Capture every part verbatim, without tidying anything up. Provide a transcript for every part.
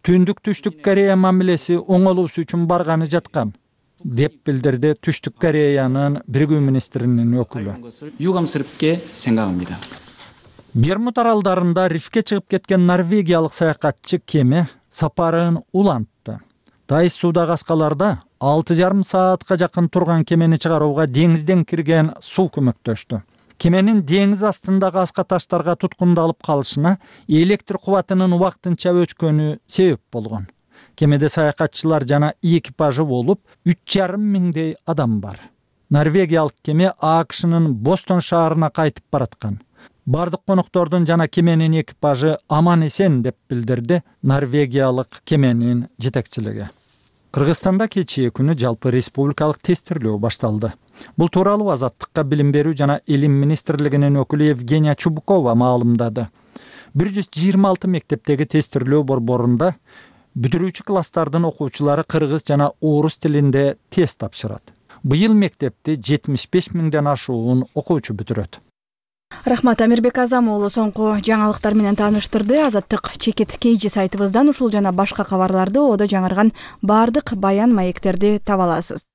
Түндүк Түштүк Корея мамилеси оңолуусу үчүн барганы жаткан, деп билдирди Түштүк Кореянын биригүү министринин өкүлү. 유감스럽게 생각합니다. Бермуд аралдарында рифке чыгып кеткен норвегиялык саякатчы кеме сапарын улантты. Дайыс суудагы аскаларда алты жарым саатка жакын турган кемени чыгарууга деңизден кирген суу көмөктөштү. Кеменин деңиз астындагы аска таштарга туткундалып калышына электр кубатынын убактынча өчкөнү себеп болгон. Кемеде саякатчылар жана экипажы болуп үч жарым миңдей адам бар. Норвегиялык кеме АКШнын Бостон шаарына кайтып бараткан. Бардык коноктордун жана кеменин экипажы аман эсен деп билдирди норвегиялык кеменин жетекчилиги. Кыргызстанда кечээ күнү жалпы республикалык тестирлөө башталды. Бул тууралуу Азаттыкка билим берүү жана илим министрлигинин өкүлү Евгения Чубукова маалымдады. бир жүз жыйырма алты мектептеги тестирлөө борборунда бүтүрүүчү класстардын окуучулары кыргыз жана орус тилинде тест тапшырат. Быйыл мектепти жетимиш беш миңден ашуун окуучу бүтүрөт. Рахмат, Амирбек Азам уулу соңку жаңылыктар менен тааныштырды. Азаттык чекит кейжи сайтыбыздан ушул жана башка кабарларды оодо жаңырган бардык баян маектерди таба аласыз.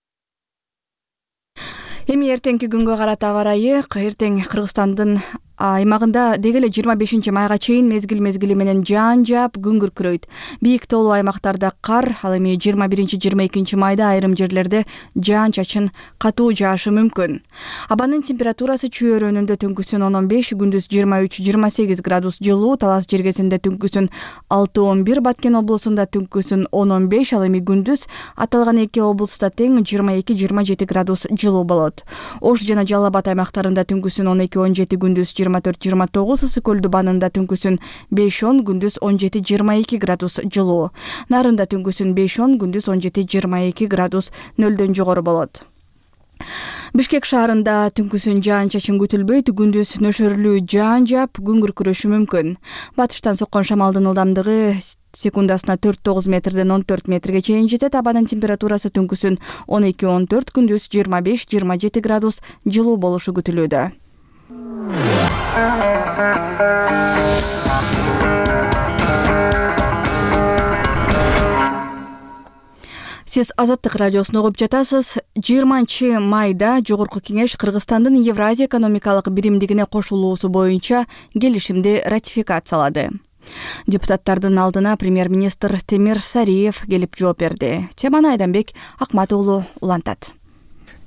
Эми эртеңки күнгө карата аба ырайы. Эртең Кыргызстандын аймагында деги эле жыйырма бешинчи майга чейин мезгил мезгили менен жаан жаап күн күркүрөйт. Бийик тоолуу аймактарда кар, ал эми жыйырма биринчи жыйырма экинчи майда айрым жерлерде жаан чачын катуу жаашы мүмкүн. Абанын температурасы чүй өрөөнүндө түнкүсүн он он беш, күндүз жыйырма үч жыйырма сегиз градус жылуу, Талас жергесинде түнкүсүн алты он бир, Баткен облусунда түнкүсүн он он беш, ал эми күндүз аталган эки облуста тең жыйырма эки жыйырма жети градус жылуу болот. Ош жана Жалал Абад аймактарында түнкүсүн он эки он жети, күндүз жыйырма төрт жыйырма тогуз, Ысык көлдү банында түнкүсүн беш он, күндүз он жети жыйырма эки градус жылуу. Нарында түнкүсүн беш он, күндүз он жети жыйырма эки градус нөлдөн жогору болот. Бишкек шаарында түнкүсүн жаан-чачын күтүлбөйт, күндүз нөшөрлүү жаан жаап, күн күркүрөшү мүмкүн. Батыштан соккон шамалдын ылдамдыгы секундасына төрт тогуз метрден он төрт метрге чейин жетет. Абанын температурасы түнкүсүн он эки он төрт, күндүз жыйырма беш жыйырма жети градус жылуу болушу күтүлүүдө. Сиз Азаттык радиосун угуп жатасыз. жыйырманчы майда Жогорку кеңеш Кыргызстандын Евразия экономикалык биримдигине кошулуусу боюнча келишимди ратификациялады. Депутаттардын алдына премьер-министр Темир Сариев келип жооп берди. Теманы Айданбек Акмат уулу улантат.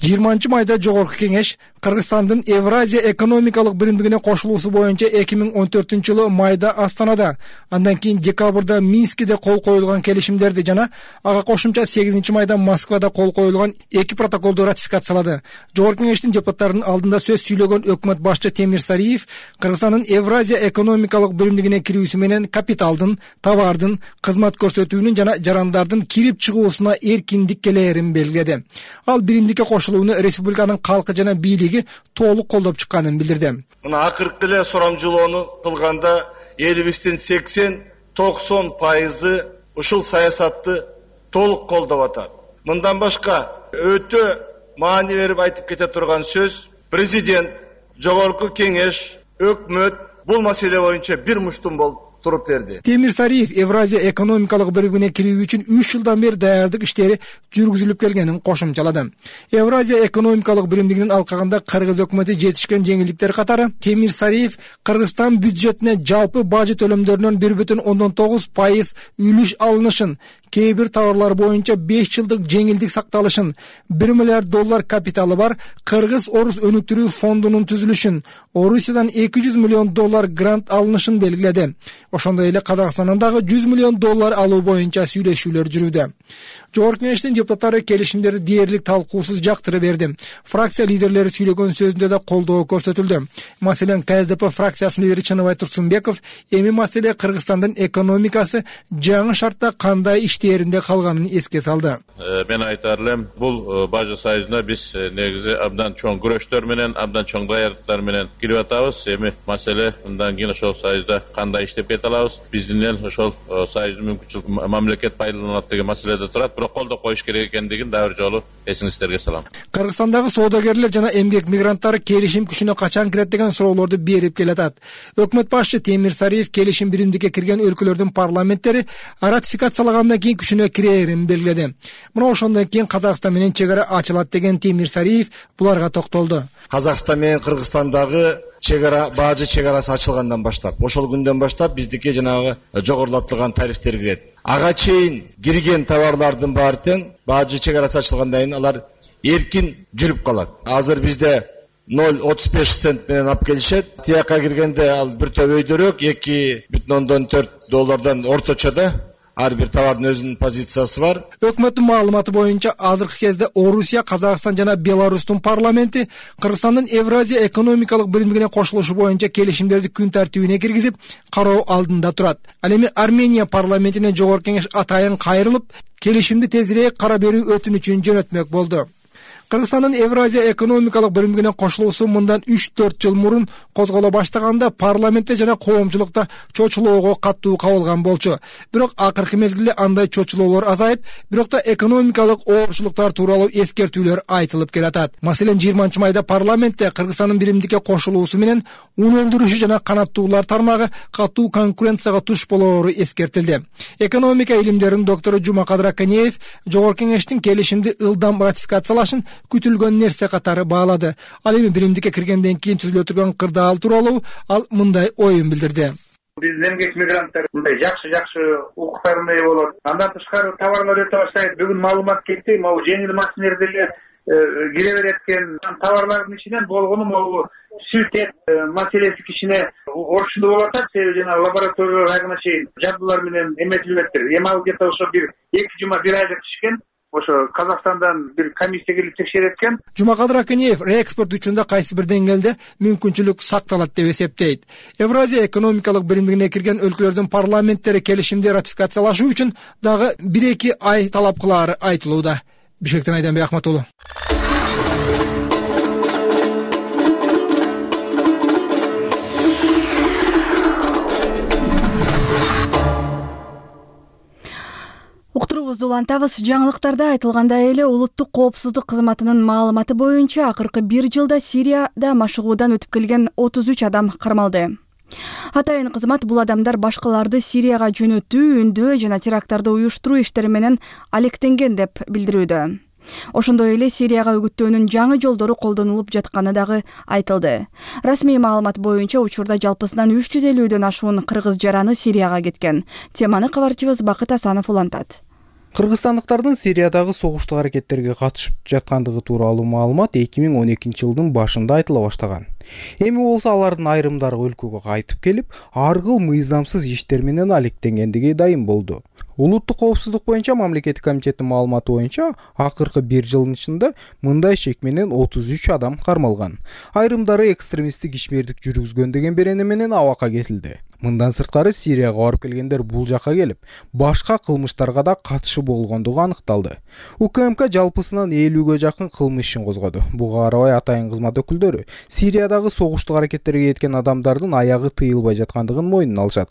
жыйырманчы майда Жогорку кеңеш Кыргызстандын Евразия экономикалык биримдигине кошулуусу боюнча эки миң он төртүнчү жылы майда Астанада, андан кийин декабрда Минскиде кол коюлган келишимдерди жана ага кошумча сегизинчи майда Москвада кол коюлган эки протоколду ратификациялады. Жогорку кеңештин депутаттарынын алдында сөз сүйлөгөн өкмөт башчы Темир Сариев Кыргызстандын Евразия экономикалык биримдигине кирүүсү менен капиталдын, товардын, кызмат көрсөтүүнүн жана жарандардын кирип чыгуусуна эркиндик келээрин белгиледи. Ал биримдикке кошулууну республиканын калкы жана бийлиги толук колдоп чыкканын билдирди. Мына акыркы эле сурамжылоону кылганда элибиздин сексен токсон пайызы ушул саясатты толук колдоп атат. Мындан башка өтө маани берип айтып кете турган сөз, президент, Жогорку кеңеш, өкмөт бул маселе боюнча бир муштум болуп туруп берди. Темир Сариев Евразия экономикалык биримдигине кирүү үчүн үч жылдан бери даярдык иштери жүргүзүлүп келгенин кошумчалады. Евразия экономикалык биримдигинин алкагында Кыргыз өкмөтү жетишкен жеңилдиктер катары Темир Сариев Кыргызстан бюджетине жалпы бажы төлөмдөрүнөн бир бүтүн ондон тогуз пайыз үлүш алынышын, кээ бир товарлар боюнча беш жылдык жеңилдик сакталышын, бир миллиард доллар капиталы бар Кыргыз-Орус өнүктүрүү фондунун түзүлүшүн, Орусиядан эки жүз миллион доллар грант алынышын белгиледи. Ошондой эле Казакстандан дагы жүз миллион доллар алуу боюнча сүйлөшүүлөр жүрүүдө. Жогорку кеңештин депутаттары келишимдерди дээрлик талкуусуз жактырып берди. Фракция лидерлери сүйлөгөн сөзүндө да колдоо көрсөтүлдү. Маселен, Ка Эс Д П фракциясынын лидери Чыныбай Турсунбеков эми маселе Кыргызстандын экономикасы жаңы шартта кандай иштээринде калганын эске салды. Мен айтар элем, бул бажы союзуна биз негизи абдан чоң күрөштөр менен, абдан чоң даярдыктар менен кирип атабыз. Эми маселе мындан кийин ошол союзда кандай иштеп кетет айта алабыз. Биздин эл ошол союздун мүмкүнчүлүк мамлекет пайдаланат деген маселеде турат, бирок колдоп коюш керек экендигин дагы бир жолу эсиңиздерге салам. Кыргызстандагы соодагерлер жана эмгек мигранттары келишим күчүнө качан кирет деген суроолорду берип келатат. Өкмөт башчы Темир Сариев келишим биримдикке кирген өлкөлөрдүн парламенттери ратификациялагандан кийин күчүнө кирерин белгиледи. Мына ошондон кийин Казакстан менен чек ара ачылат деген Темир Сариев буларга токтолду. Казакстан менен Кыргызстандагы чек ара баажы чек арасы ачылгандан баштап, ошол күндөн баштап биздикке жанагы жогорулатылган тарифтер кирет. Ага чейин кирген товарлардын баары тең баажы чек арасы ачылгандан кийин алар эркин жүрүп калат. Азыр бизде ноль отуз беш цент менен алып келишет. Тияка киргенде ал бир топ өйдөрөөк эки бүтүн ондон төрт доллардан орточо да ар бир товардын өзүнүн позициясы бар. Өкмөттүн маалыматы боюнча азыркы кезде Орусия, Казакстан жана Беларустун парламенти Кыргызстандын Евразия экономикалык биримдигине кошулушу боюнча келишимдерди күн тартибине киргизип, кароо алдында турат. Ал эми Армения парламентине жогорку кеңеш атайын кайрылып, келишимди тезирээк кара берүү өтүнүчүн жөнөтмөк болду. Кыргызстандын Евразия экономикалык биримдигине кошулуусу мындан үч төрт жыл мурун козголо баштаганда парламентте жана коомчулукта чочулоого каттуу кабылган болчу. Бирок акыркы мезгилде андай чочулоолор азайып, бирок да экономикалык оорчулуктар тууралуу эскертүүлөр айтылып келатат. Маселен, жыйырманчы майда парламентте Кыргызстандын биримдикке кошулуусу менен ун өндүрүшү жана канаттуулар тармагы катуу конкуренцияга туш болоору эскертилди. Экономика илимдеринин доктору Жумакадыр Аканеев жогорку кеңештин келишимди ылдам ратификациялашын күтүлгөн нерсе катары баалады. Ал эми биримдикке киргенден кийин түзүлө турган кырдаал тууралуу ал мындай оюн билдирди. Биздин эмгек мигранттар мындай жакшы жакшы укуктардын ээ болот. Андан тышкары товарлар өтө баштайт. Бүгүн маалымат кетти, могу жеңил машинелер деле кире берет экен. Товарлардын ичинен болгону могу сүт эт маселеси кичине орчунду болуп атат. Себеби жана лабораториялар айгына чейин жабдуулар менен эметилбептир. Эми ал где-то ошо бир эки жума бир айга түшкөн. Ошо Казакстандан бир комиссия келип текшерет экен. Жумакадыр Аканеев реэкспорт үчүн да кайсы бир деңгээлде мүмкүнчүлүк сакталат деп эсептейт. Евразия экономикалык биримдигине кирген өлкөлөрдүн парламенттери келишимди ратификациялашуу үчүн дагы бир эки ай талап кылаары айтылууда. Бишкектен Айданбек Ахматулу. Уктуруубузду улантабыз. Жаңылыктарда айтылгандай эле улуттук коопсуздук кызматынын маалыматы боюнча акыркы бир жылда Сирияда машыгуудан өтүп келген отуз үч адам кармалды. Атайын кызмат бул адамдар башкаларды Сирияга жөнөтүү, үндөө жана теракттарды уюштуруу иштери менен алектенген деп билдирүүдө. Ошондой эле Сирияга үгүттөөнүн жаңы жолдору колдонулуп жатканы дагы айтылды. Расмий маалымат боюнча учурда жалпысынан үч жүз элүүдөн ашуун кыргыз жараны Сирияга кеткен. Теманы кабарчыбыз Бакыт Асанов улантат. Кыргызстандыктардын Сириядагы согуштук аракеттерге катышып жаткандыгы тууралуу маалымат эки миң он экинчи жылдын башында айтыла баштаган. Эми болсо алардын айрымдары өлкөгө кайтып келип, ар кыл мыйзамсыз иштер менен алектенгендиги дайым болду. Улуттук коопсуздук боюнча мамлекеттик комитеттин маалыматы боюнча акыркы бир жылдын ичинде мындай шек менен отуз үч адам кармалган. Айрымдары экстремисттик ишмердик жүргүзгөн деген берене менен абакка кесилди. Мындан сырткары Сирияга барып келгендер бул жакка келип, башка кылмыштарга да катышы болгондугу аныкталды. УКМК жалпысынан элүүгө жакын кылмыш ишин козгоду. Буга карабай атайын кызмат өкүлдөрү Сириядагы согуштук аракеттерге кеткен адамдардын аягы тыйылбай жаткандыгын мойнуна алышат.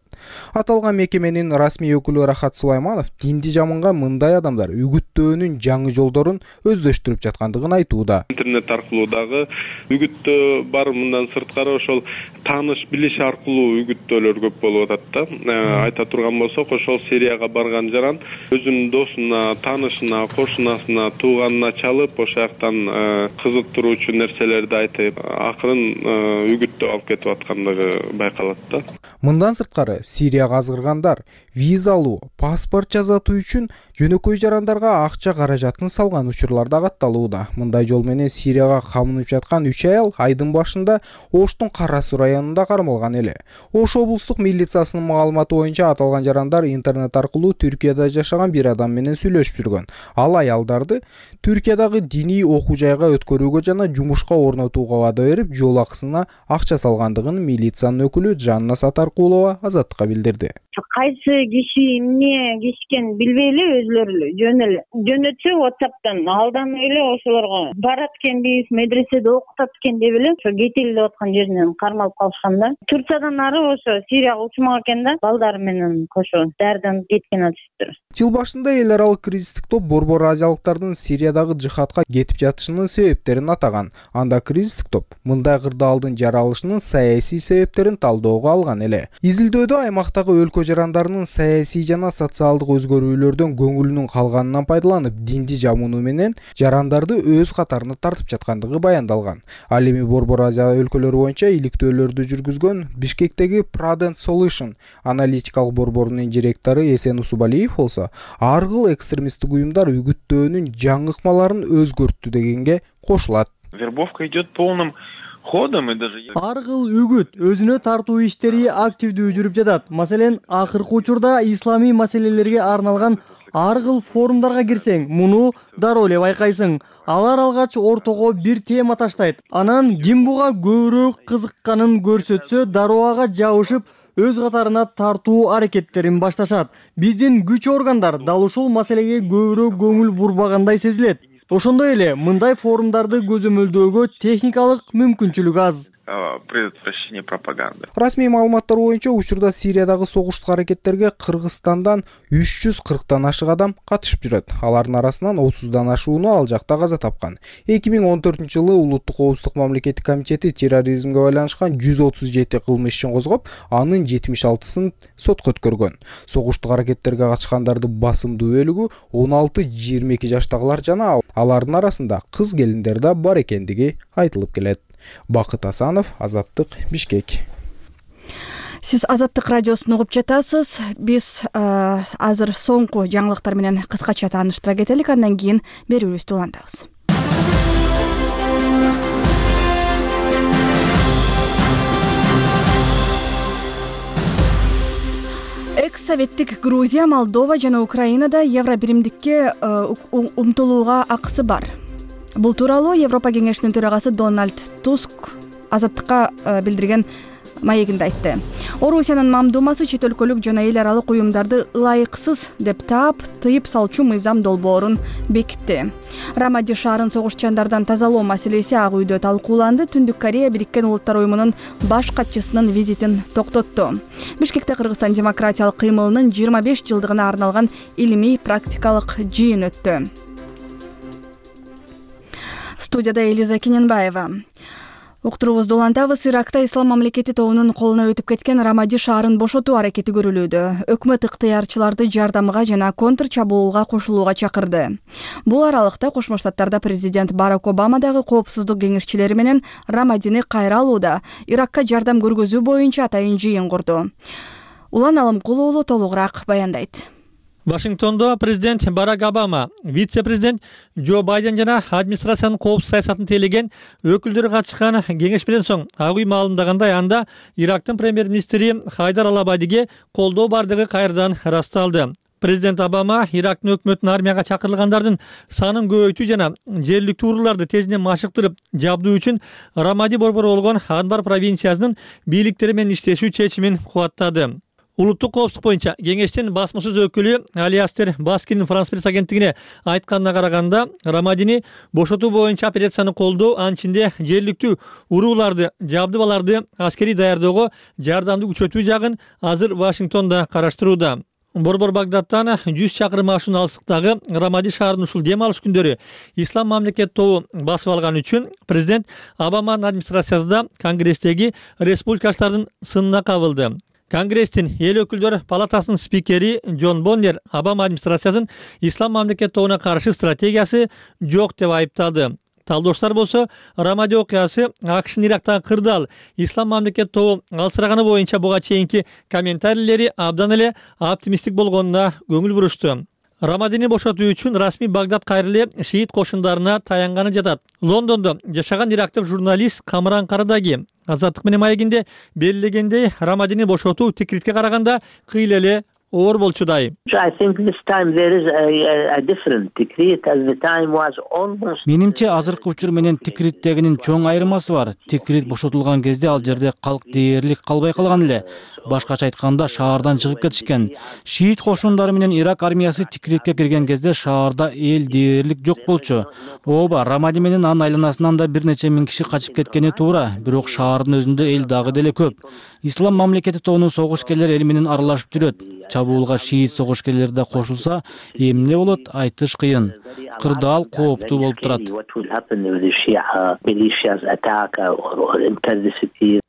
Аталган мекеменин расмий өкүлү Рахат Сулайманов динди жаманга мындай адамдар үгүттөөнүн жаңы жолдорун өздөштүрүп жаткандыгын айтууда. Интернет аркылуу дагы үгүттөө бар, мындан сырткары ошол тааныш билиш аркылуу үгүттөөлөр көп болуп атат да. Айта турган болсок, ошол Сирияга барган жаран өзүнүн досуна, таанышына, кошунасына, тууганына чалып, ошол жактан кызыктыруучу нерселерди айтып, акырын үгүттөө алып кетип аткандыгы байкалат да. Мындан сырткары Сирияга азгыргандар виза алуу, паспорт жасатуу үчүн жөнөкөй жарандарга акча каражатын салган учурлар да катталууда. Мындай жол менен Сирияга камынып жаткан үч аял айдын башында Оштун Кара Суу районунда кармалган эле. Ош облустук милициясынын маалыматы боюнча аталган жарандар интернет аркылуу Түркияда жашаган бир адам менен сүйлөшүп жүргөн. Ал аялдарды Түркиядагы диний окуу жайга өткөрүүгө жана жумушка орнотууга вада берип, жол акысына акча салгандыгын милициянын өкүлү Жанна Сатаркулова Азаттыкка билдирди. кайсы киши эмне кишкен билбей эле өзүлөрү эле жөн эле жөнөтсө WhatsApp'тан алдан эле ошолорго барат экенбиз, медреседе окутат экен деп эле ошо кетели деп аткан жеринен кармалып калышкан да. Турциядан ары ошо Сирияга учмак экен да, балдары менен кошо дардан кеткен атышыптыр. Жыл башында эл аралык кризистик топ борбор азиялыктардын Сириядагы жихадка кетип жатышынын себептерин атаган. Анда кризистик топ мындай кырдаалдын жаралышынын саясий себептерин талоого алган эле. Изилдөөдө аймактагы өлкө жарандарынын саясий жана социалдык өзгөрүүлөрдөн көңүлүнүн калганынан пайдаланып, динди жамууну менен жарандарды өз катарына тартып жаткандыгы баяндалган. Ал эми борбор Азия өлкөлөрү боюнча иликтөөлөрдү жүргүзгөн Бишкектеги Prudent Solution аналитикалык борборунун директору Эсен Усубалиев болсо, ар кыл экстремисттик уюмдар үгүттөөнүн жаңы ыкмаларын өзгөрттү дегенге кошулат. Вербовка идет полным ходом и даже ар кыл үгүт өзүнө тартуу иштери активдүү жүрүп жатат. Маселен, акыркы учурда исламий маселелерге арналган ар кыл форумдарга кирсең, муну дароо эле байкайсың. Алар алгач ортого бир тема таштайт. Анан ким буга көбүрөөк кызыкканын көрсөтсө, дароо ага жабышып, өз катарына тартуу аракеттерин башташат. Биздин күч органдар дал ушул маселеге көбүрөөк көңүл бурбагандай сезилет. Ошондой эле мындай форумдарды көзөмөлдөөгө техникалык мүмкүнчүлүк аз. Предотвращение пропаганды. Расмий маалыматтар боюнча учурда Сириядагы согуштук аракеттерге Кыргызстандан үч жүз кырктан ашык адам катышып жүрөт. Алардын арасынан отуздан ашууну ал жакта каза тапкан. эки миң он төртүнчү жылы Улуттук коопсуздук мамлекеттик комитети терроризмге байланышкан жүз отуз жети кылмыш ишин козгоп, анын жетимиш алтысын сотко өткөргөн. Согуштук аракеттерге катышкандардын басымдуу бөлүгү он алты жыйырма эки жаштагылар жана алардын арасында кыз келиндер да бар экендиги айтылып келет. Бакыт Асанов, Азаттык, Бишкек. Сиз Азаттык радиосун угуп жатасыз. Биз азыр соңку жаңылыктар менен кыскача тааныштыра кетелик, андан кийин берүүбүздү улантабыз. Экс-советтик Грузия, Молдова жана Украинада евро биримдикке умтулууга акысы бар. Бул тууралуу Европа кеңешинин төрагасы Дональд Туск Азаттыкка билдирген маегинде айтты. Орусиянын мамдумасы чет өлкөлүк жана эл аралык уюмдарды ылайыксыз деп таап, тыйып салчу мыйзам долбоорун бекитти. Рамади шаарын согушчандардан тазалоо маселеси ак үйдө талкууланды. Түндүк Корея Бириккен Улуттар уюмунун баш катчысынын визитин токтотту. Бишкекте Кыргызстан демократиялык кыймылынын жыйырма беш жылдыгына арналган илимий практикалык жыйын өттү. Студияда Элиза Кененбаева. Уктуруубузду улантабыз. Иракта Ислам мамлекети тобунун колуна өтүп кеткен Рамади шаарын бошотуу аракети көрүлүүдө. Өкмөт ыктыярчыларды жардамга жана контр чабуулга кошулууга чакырды. Бул аралыкта Кошмо Штаттарда президент Барак Обама дагы коопсуздук кеңешчилери менен Рамадини кайра алууда Иракка жардам көргөзүү боюнча атайын жыйын курду. Улан Алымкул уулу толугураак баяндайт. Вашингтондо президент Барак Обама, вице-президент Джо Байден жана администрациянын коопсуз саясатын тейлеген өкүлдөрү катышкан кеңеш менен соң ак үй маалымдагандай, анда Ирактын премьер-министри Хайдар Ал-Абадиге колдоо бардыгы кайрадан ырасталды. Президент Обама Ирактын өкмөтүнүн армияга чакырылгандардын санын көбөйтүү жана жергиликтүү урууларды тезинен машыктырып жабдуу үчүн Рамади борбору болгон Анбар провинциясынын бийликтери менен иштешүү чечимин кубаттады. Улуттук коопсуздук боюнча кеңештин басмасөз өкүлү Алиастер Баскинин Франс пресс агенттигине айтканына караганда, Рамадини бошотуу боюнча операцияны колдоо, анчинде жергиликтүү урууларды, жабдыбаларды аскерий даярдоого жардамды күчөтүү жагын азыр Вашингтонда караштырууда. Борбор Багдадтан жүз чакырым ашуун алыстыктагы Рамади шаарынын ушул дем алыш күндөрү Ислам мамлекет тобу басып алган үчүн президент Обаманын администрациясында Конгресстеги республикачылардын сынына кабылды. Конгресстин эл өкүлдөр палатасынын спикери Джон Боннер Обама администрациясын Ислам мамлекет тобуна каршы стратегиясы жок деп айыптады. Талдоштор болсо, Рамади окуясы АКШнын Ирактагы кырдаал Ислам мамлекет тобу алсыраганы боюнча буга чейинки комментарийлери абдан эле оптимисттик болгонуна көңүл бурушту. Рамадини бошотуу үчүн расмий Багдад кайра эле шиит кошундарына таянганы жатат. Лондондо жашаган ирактык журналист Камран Карадаги Азаттык менен маегинде белгилегендей, Рамадини бошотуу тикритке караганда кыйла эле оор болчудай. Менимче азыркы учур менен тикриттегинин чоң айырмасы бар. Тикрит бошотулган кезде ал жерде калк дээрлик калбай калган эле. башкача айтканда шаардан чыгып кетишкен. Шиит кошундары менен Ирак армиясы тикирекке кирген кезде шаарда эл дээрлик жок болчу. Ооба, Рамади менен анын айланасынан да бир нече миң киши качып кеткени туура, бирок шаардын өзүндө эл дагы деле көп. Ислам мамлекети тобунун согушкерлер эл менен аралашып жүрөт. Чабуулга шиит согушкерлери да кошулса, эмне болот айтыш кыйын. Кырдаал кооптуу болуп турат.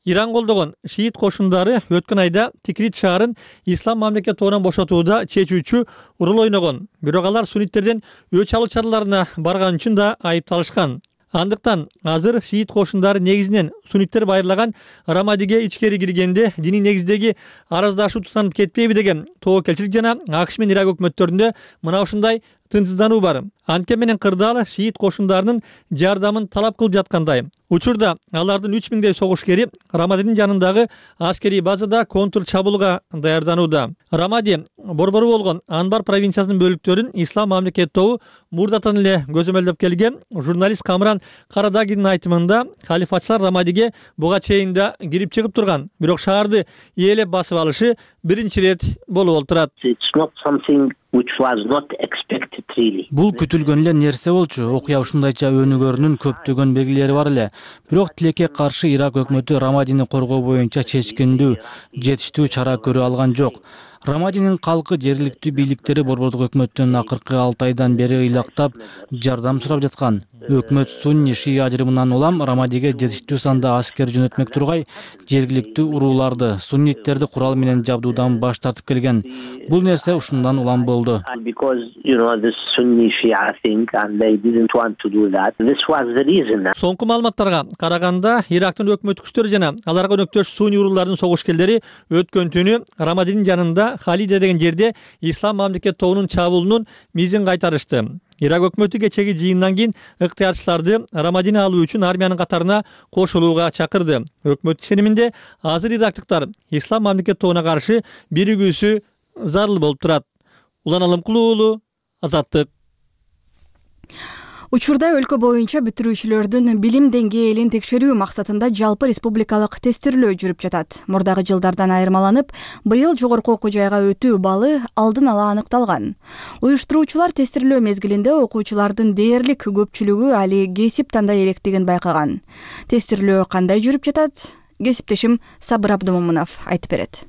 Иран колдогон шиит кошундары өткөн айда Тикрит шаарын ислам мамлекети тобунан бошотууда чечүүчү роль ойногон. Бирок алар суннитттерден өч алуу чараларына барган үчүн да айыпталышкан. Андыктан азыр шиит кошундары негизинен сунниттер байырлаган Рамадиге ичкери киргенде диний негиздеги араздашуу тутанып кетпейби деген тобокелчилик жана АКШ менен Ирак өкмөттөрүндө мына ушундай тынчсыздануу бар. Анткени менен кырдаал шиит кошундарынын жардамын талап кылып жаткандай. Учурда алардын үч миңдей согушкери Рамадинин жанындагы аскерий базада контр чабуулга даярданууда. Рамади борбору болгон Анбар провинциясынын бөлүктөрүн ислам мамлекети тобу мурдатан эле көзөмөлдөп келген. Журналист Камран Карадагинин айтымында халифатчылар Рамадиге буга чейин да кирип чыгып турган. Бирок шаарды ээлеп басып алышы биринчи ирет болуп отурат. Бул күтүлгөн эле нерсе болчу. Окуя ушундайча өнүгөрүнүн көптөгөн белгилери бар эле. Бирок тилекке каршы Ирак өкмөтү Рамадини коргоо боюнча чечкиндүү, жетиштүү чара көрө алган жок. Рамадинин калкы жергиликтүү бийликтери борбордук өкмөттөн акыркы алты айдан бери ыйлактап жардам сурап жаткан. Өкмөт сунни шии ажырымынан улам Рамадиге жетиштүү санда аскер жөнөтмөк тургай жергиликтүү урууларды, сунниттерди курал менен жабдуудан баш тартып келген. Бул нерсе ушундан улам болду. Соңку маалыматтарга караганда, Ирактын өкмөт күчтөрү жана аларга өнөктөш сунни уруулардын согушкерлери өткөн түнү Рамадинин жанында Халиде деген жерде ислам мамлекети тобунун чабуулунун мизин кайтарышты. Ирак өкмөтү кечеги жыйындан кийин ыктыярчыларды Рамадини алуу үчүн армиянын катарына кошулууга чакырды. Өкмөт ишениминде азыр ирактыктар ислам мамлекети тобуна каршы биригүүсү зарыл болуп турат. Улан Алымкулуу уулу, Азаттык. Учурда өлкө боюнча бүтүрүүчүлөрдүн билим деңгээлин текшерүү максатында жалпы республикалык тестирлөө жүрүп жатат. Мурдагы жылдардан айырмаланып, быйыл жогорку окуу жайга өтүү балы алдын ала аныкталган. Уюштуруучулар тестирлөө мезгилинде окуучулардын дээрлик көпчүлүгү али кесип тандай электигин байкаган. Тестирлөө кандай жүрүп жатат? Кесиптешим Сабыр Абдымомунов айтып берет.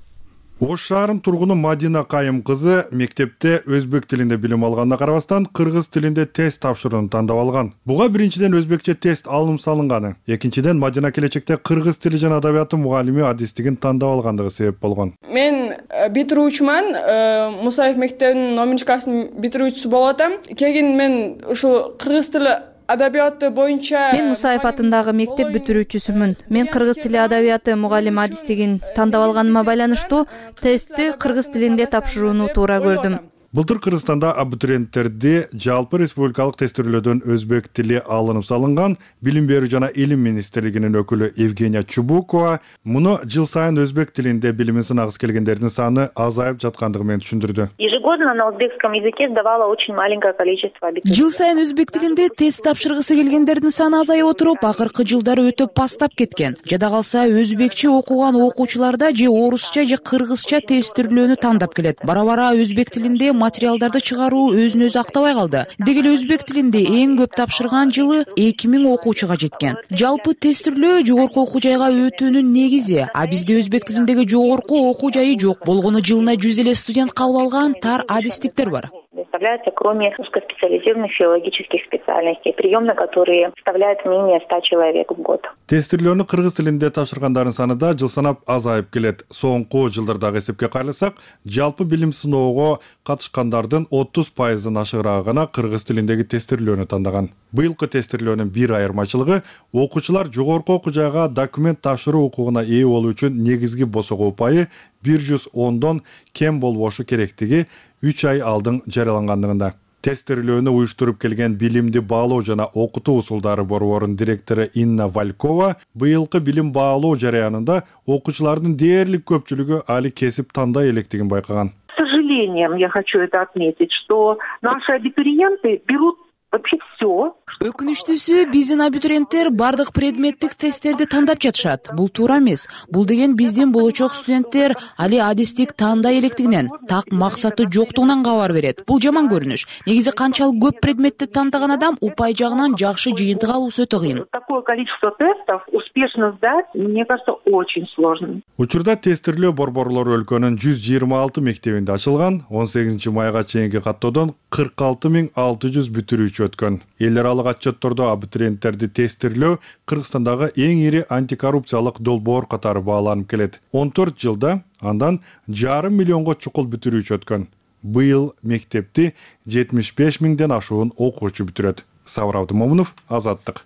Ош шаарынын тургуну Мадина Кайым кызы мектепте өзбек тилинде билим алганына карабастан кыргыз тилинде тест тапшырууну тандап алган. Буга биринчиден өзбекче тест алым салынганы, экинчиден Мадина келечекте кыргыз тили жана адабияты мугалими адистигин тандап алгандыгы себеп болгон. Мен битирүүчүмүн, Мусаев мектебинин номинчи класстын битирүүчүсү болуп атам. Кийин мен ушул кыргыз тили адабияты боюнча Мен Мусаев атындагы мектеп бүтүрүүчүсүмүн. Мен кыргыз тили адабияты мугалим адистигин тандап алганыма байланыштуу тестти кыргыз тилинде тапшырууну туура көрдүм. Былтыр Кыргызстанда абитуриенттерди жалпы республикалык тестирлөөдөн өзбек тили алынып салынган. Билим берүү жана илим министрлигинин өкүлү Евгения Чубукова муну жыл сайын өзбек тилинде билимин сынагысы келгендердин саны азайып жаткандыгы менен түшүндүрдү. Ежегодно на узбекском языке сдавало очень маленькое количество абитуриентов. Жыл сайын өзбек тилинде тест тапшыргысы келгендердин саны азайып отуруп, акыркы жылдары өтө пастап кеткен. Жада калса өзбекче окуган окуучуларда же орусча же кыргызча тестирлөөнү тандап келет. Бара-бара өзбек тилинде материалдарды чыгаруу өзүн өзү актабай калды. Деги эле өзбек тилинде эң көп тапшырган жылы эки миң окуучуга жеткен. Жалпы тестирлөө жогорку окуу жайга өтүүнүн негизи, а бизде өзбек тилиндеги жогорку окуу жайы жок. Болгону жылына жүз эле студент кабыл алган тар адистиктер бар. Составляются, кроме узкоспециализированных филологических специальностей, прием на которые составляет менее ста человек в год. Тестирлөөнү кыргыз тилинде тапшыргандардын саны да жыл санап азайып келет. Соңку жылдардагы эсепке кайрылсак, жалпы билим сыноого катышкандардын отуз пайыздан ашыгыраагы гана кыргыз тилиндеги тестирлөөнү тандаган. Быйылкы тестирлөөнүн бир айырмачылыгы окуучулар жогорку окуу жайга документ тапшыруу укугуна ээ болуу үчүн негизги босого упайы бир жүз ондон кем болбошу керектиги үч ай алдын жарыялангандыгында. Тестирлөөнү уюштуруп келген билимди баалоо жана окутуу усулдары борборунун директору Инна Валькова быйылкы билим баалоо жараянында окуучулардын дээрлик көпчүлүгү али кесип тандай электигин байкаган. К сожалению, я хочу это отметить, что наши абитуриенты берут вообще все. Өкүнүчтүүсү биздин абитуриенттер бардык предметтик тесттерди тандап жатышат. Бул туура эмес. Бул деген биздин болочок студенттер али адистик таандай электигинен, так максаты жоктугунан кабар берет. Бул жаман көрүнүш. Негизи канчалык көп предметти тандаган адам упай жагынан жакшы жыйынтык алуусу өтө кыйын. Такое количество тестов успешно сдать, мне кажется, очень сложно. Учурда тестирлөө борборлору өлкөнүн жүз жыйырма алты мектебинде ачылган. он сегизинчи майга чейинки каттоодон кырк алты миң алты жүз бүтүрүүчү өткөн. Эл аралык отчеттордо абитуриенттерди тестирлөө Кыргызстандагы эң ири антикоррупциялык долбоор катары бааланып келет. он төрт жылда андан жарым миллионго чукул бүтүрүүчү өткөн. Быйыл мектепти жетимиш беш миңден ашуун окуучу бүтүрөт. Сабыр Абдымомунов, Азаттык.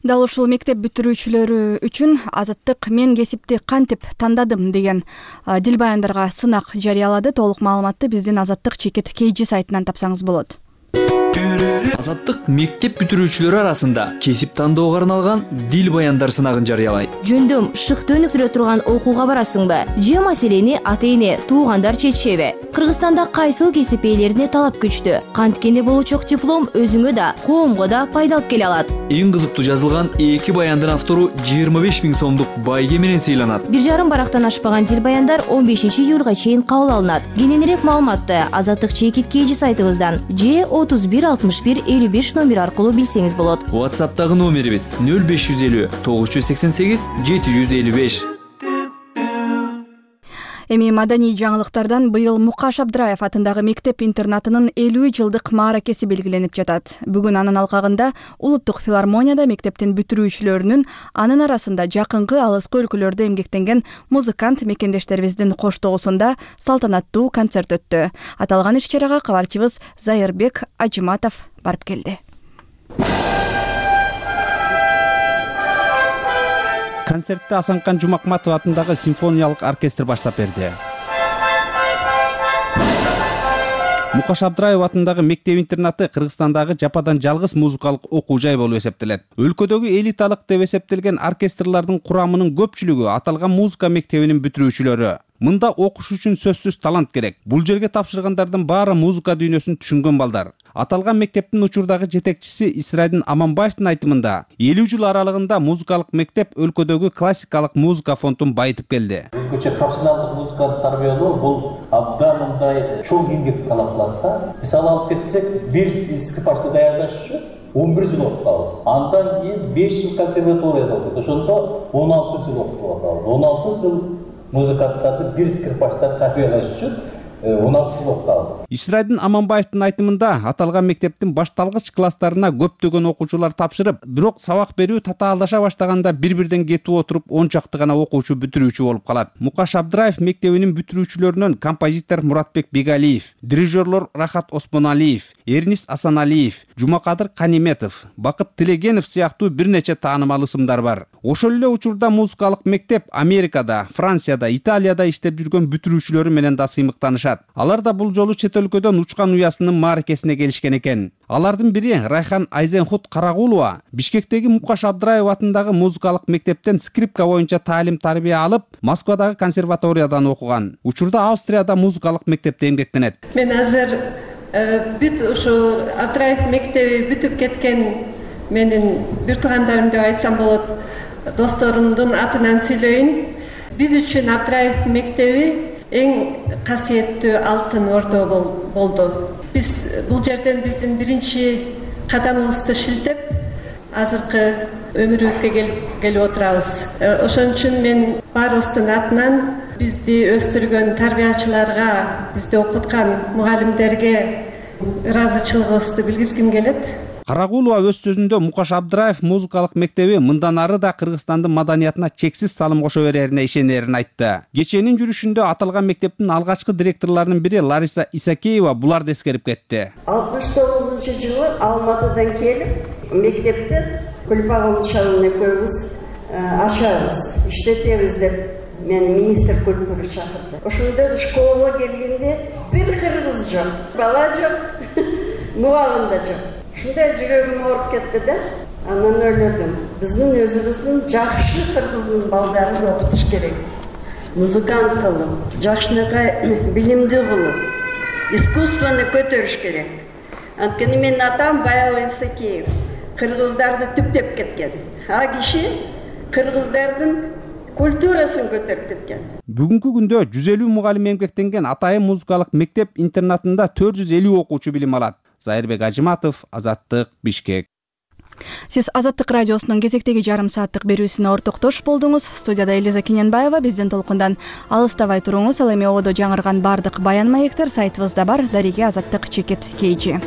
Дал ушул мектеп бүтүрүүчүлөрү үчүн Азаттык мен кесипти кантип тандадым деген дил баяндарга сынак жарыялады. Толук маалыматты биздин Азаттык чекит кейжи сайтынан тапсаңыз болот. Азаттык мектеп бүтүрүүчүлөрү арасында кесип тандоого арналган дил баяндар сынагын жарыялайт. Жөндөм шыкты өнүктүрө турган окууга барасыңбы? Же маселени ата-эне, туугандар чечишеби? Кыргызстанда кайсыл кесип ээлерине талап күчтүү? Канткенде болочок диплом өзүңө да, коомго да пайда алып келе алат. Эң кызыктуу жазылган эки баяндын автору жыйырма беш миң сомдук байге менен сыйланат. Бир жарым барактан ашпаган дил баяндар он бешинчи июлга чейин кабыл алынат. Кененирээк маалыматты Азаттык чекит кейжи сайтыбыздан же отуз бир алтымыш бир элүү беш номер аркылуу билсеңиз болот. WhatsApp'тагы номерибиз нөл беш жүз элүү тогуз жүз сексен сегиз жети жүз элүү беш. Эми маданий жаңылыктардан быйыл Мукаш Абдраев атындагы мектеп-интернатынын элүү жылдык мааракеси белгиленип жатат. Бүгүн анын алкагында Улуттук филармонияда мектептин бүтүрүүчүлөрүнүн, анын арасында жакынкы алыскы өлкөлөрдө эмгектенген музыкант мекендештерибиздин коштоосунда салтанаттуу концерт өттү. Аталган иш-чарага кабарчыбыз Зайырбек Ажыматов барып келди. Концертте Асанкан Жумакматов атындагы симфониялык оркестр баштап берди. Мукаш Абдраев атындагы мектеп-интернаты Кыргызстандагы жападан жалгыз музыкалык окуу жай болуп эсептелет. Өлкөдөгү элиталык деп эсептелген оркестрлардын курамынын көпчүлүгү аталган музыка мектебинин бүтүрүүчүлөрү. Мында окуш үчүн сөзсүз талант керек. Бул жерге тапшыргандардын баары музыка дүйнөсүн түшүнгөн балдар. Аталган мектептин учурдагы жетекчиси Исрайдин Аманбаевдин айтымында, элүү жыл аралыгында музыкалык мектеп өлкөдөгү классикалык музыка фондун байытып келди. Өзгөчө профессионалдык музыканы тарбиялоо бул абдан мындай чоң эмгек талап кылат да. Мисалы алып келсек, бир скрипачты даярдаш үчүн он бир жыл окуп калабыз. Андан кийин беш жыл консерваторияда окуп, ошондо он алты жыл окуп атабыз. он алты жыл музыканттарды бир скрипачтан тарбиялаш үчүн он алты жыл окуп калабыз. Исрайдин Аманбаевдин айтымында, аталган мектептин башталгыч класстарына көптөгөн окуучулар тапшырып, бирок сабак берүү татаалдаша баштаганда бир-бирден кетип отуруп он чакты гана окуучу бүтүрүүчү болуп калат. Мукаш Абдраев мектебинин бүтүрүүчүлөрүнөн композитор Муратбек Бегалиев, дирижерлор Рахат Осмоналиев, Эрнис Асаналиев, Жумакадыр Каниметов, Бакыт Тилегенов сыяктуу бир нече таанымал ысымдар бар. Ошол эле учурда музыкалык мектеп Америкада, Францияда, Италияда иштеп жүргөн бүтүрүүчүлөрү менен да сыймыктанышат. Алар да бул жолу чет өлкөдөн учкан уясынын мааракесине келишкен экен. Алардын бири Райхан Айзенхут Карагулова Бишкектеги Мукаш Абдраев атындагы музыкалык мектептен скрипка боюнча таалим тарбия алып, Москвадагы консерваториядан окуган. Учурда Австрияда музыкалык мектепте эмгектенет. Мен азыр бүт ушу Абдраев мектеби бүтүп кеткен менин бир туугандарым деп айтсам болот, досторумдун атынан сүйлөйүн. Биз үчүн Абдраев мектеби эң касиеттүү алтын ордо болду. Биз бул жерден биздин биринчи кадамыбызды шилтеп, азыркы өмүрүбүзгө келип отурабыз. Ошон үчүн мен баарыбыздын атынан бизди өстүргөн тарбиячыларга, бизди окуткан мугалимдерге ыраазычылыгыбызды билгизгим келет. Карагулова өз сөзүндө Мукаш Абдраев музыкалык мектеби мындан ары да Кыргызстандын маданиятына чексиз салым кошо берерине ишенерин айтты. Кечээнин жүрүшүндө аталган мектептин алгачкы директорлорунун бири Лариса Исакеева буларды эскерип кетти. алтымыш тогузунчу жылы Алматыдан келип, мектепти Кульпагул шагына экөөбүз ачабыз, иштетебиз деп мени министр культуры чакырды. Ошондо школага келгенде бир кыргыз жок, бала жок, мугалим да жок. Шундай жүрөгүм ооруп кетти да, анан ойлодум. Биздин өзүбүздүн жакшы кыргыздын балдарын окутуш керек. Музыкант кылып, жакшынакай билимдүү кылып, искусствону көтөрүш керек. Анткени менин атам Баял Исекеев кыргыздарды түптеп кеткен. А киши кыргыздардын культурасын көтөрүп кеткен. Бүгүнкү күндө жүз элүү мугалим эмгектенген Атайын музыкалык мектеп интернатында төрт жүз элүү окуучу билим алат. Зайырбек Ажиматов, Азаттык, Бишкек. Сиз Азаттык радиосунун кезектеги жарым сааттык берүүсүнө ортоктош болдуңуз. Студияда Элиза Кененбаева, биздин толкундан алыстабай туруңуз. Ал эми ободо жаңырган бардык баян маектер сайтыбызда бар. Дареге Азаттык чекит кейжи.